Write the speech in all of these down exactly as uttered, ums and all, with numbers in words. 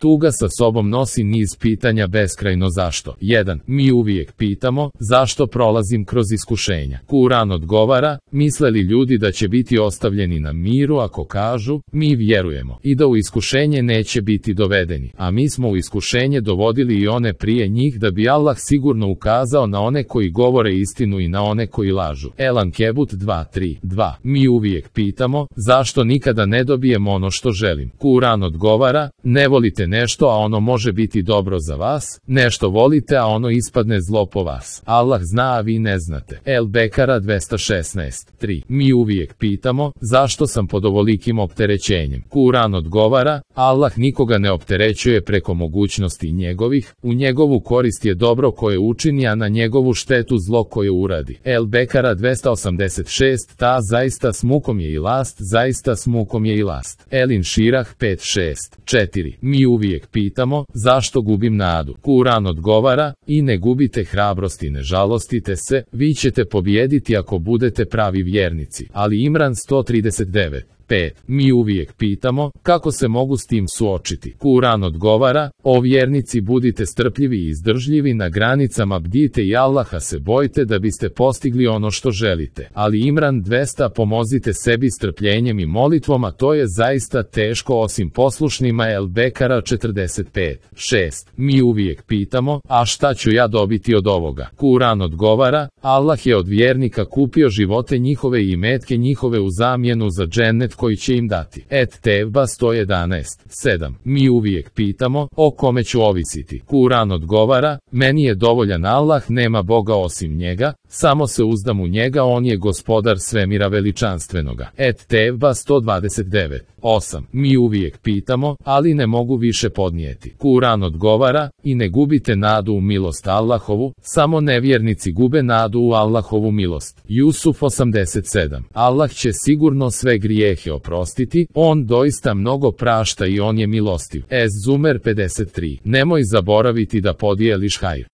Tuga sa sobom nosi niz pitanja beskrajno zašto. jedan. Mi uvijek pitamo, zašto prolazim kroz iskušenja? Kuran odgovara, misle li ljudi da će biti ostavljeni na miru ako kažu, mi vjerujemo, i da u iskušenje neće biti dovedeni, a mi smo u iskušenje dovodili i one prije njih da bi Allah sigurno ukazao na one koji govore istinu i na one koji lažu. El-Ankebut dva tri dva. Mi uvijek pitamo, zašto nikada ne dobijemo ono što želim? Kuran odgovara, ne volite nešto a ono može biti dobro za vas, nešto volite a ono ispadne zlo po vas. Allah zna a vi ne znate. El-Bekara dvesta šesnaest tri. Mi uvijek pitamo, zašto sam pod ovolikim opterećenjem? Kuran odgovara, Allah nikoga ne opterećuje preko mogućnosti njegovih, u njegovu korist je dobro koje učini a na njegovu štetu zlo koje uradi. El-Bekara dvesta osamdeset šest. Ta zaista s mukom je i last, zaista s mukom je i last. El-Inširah pet šest četiri. Mi uvijek pitamo, zašto gubim nadu? Kuran odgovara, i ne gubite hrabrost i ne žalostite se, vi ćete pobijediti ako budete pravi vjernici. Ali Imran sto trideset devet pet. Mi uvijek pitamo, kako se mogu s tim suočiti? Kuran odgovara, o vjernici budite strpljivi i izdržljivi na granicama, bdite i Allaha se bojte da biste postigli ono što želite. Ali Imran dvesta. Pomozite sebi strpljenjem i molitvom, a to je zaista teško osim poslušnima. El-Bekara četrdeset pet šest. Mi uvijek pitamo, a šta ću ja dobiti od ovoga? Kuran odgovara, Allah je od vjernika kupio živote njihove i imetke njihove u zamjenu za džennet koji će im dati. Et-Tevba sto jedanaest sedam. Mi uvijek pitamo, o kome ću ovisiti? Kuran odgovara, meni je dovoljan Allah, nema Boga osim njega, samo se uzdam u njega, on je gospodar svemira veličanstvenoga. Et-Tevba sto dvadeset devet osam. Mi uvijek pitamo, ali ne mogu više podnijeti. Kuran odgovara, i ne gubite nadu u milost Allahovu, samo nevjernici gube nadu u Allahovu milost. Jusuf osamdeset sedam. Allah će sigurno sve grijehe oprostiti, on doista mnogo prašta i on je milostiv. Ez-Zumer pedeset tri. Nemoj zaboraviti da podijeliš hajr.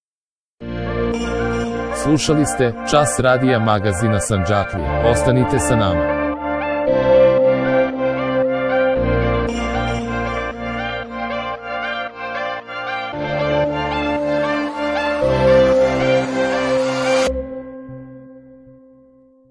Slušali ste Čas radija magazina Sandžaklija. Ostanite sa nama.